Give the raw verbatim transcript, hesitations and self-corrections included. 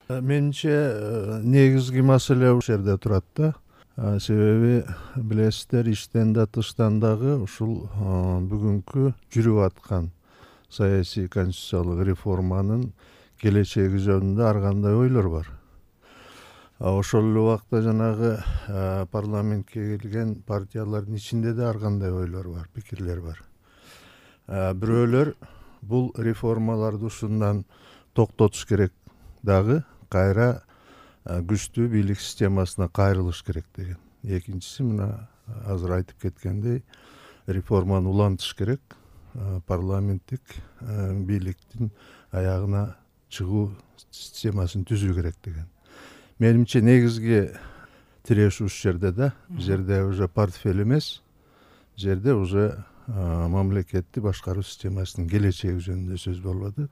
Менимче негизги маселе ушул жерде турат да. Себеби билесиздер, иштен да тыштан дагы ушул бүгүнкү жүрүп аткан саясий конституциялык реформанын келечеги жөнүндө ар кандай ойлор бар. Ошол эле убакта жанагы парламентке келген партиялардын ичинде да ар кандай ойлор бар, пикирлер бар. Бирөөлөр бул реформаларды ушундан токтотуш керек дагы, кайра күчтүү бийлик системасына кайрылыш керек деген. Экинчиси мына азыр айтып кеткендей, реформаны улантыш керек, парламенттик бийликтин аягына чыгуу системасын түзүү керек деген. Менимче негизги тирешүү ушул жерде да. Бул жерде уже портфель эмес, бул жерде уже мамлекетти башкаруу системасынын келечеги жөнүндө сөз болуп атат.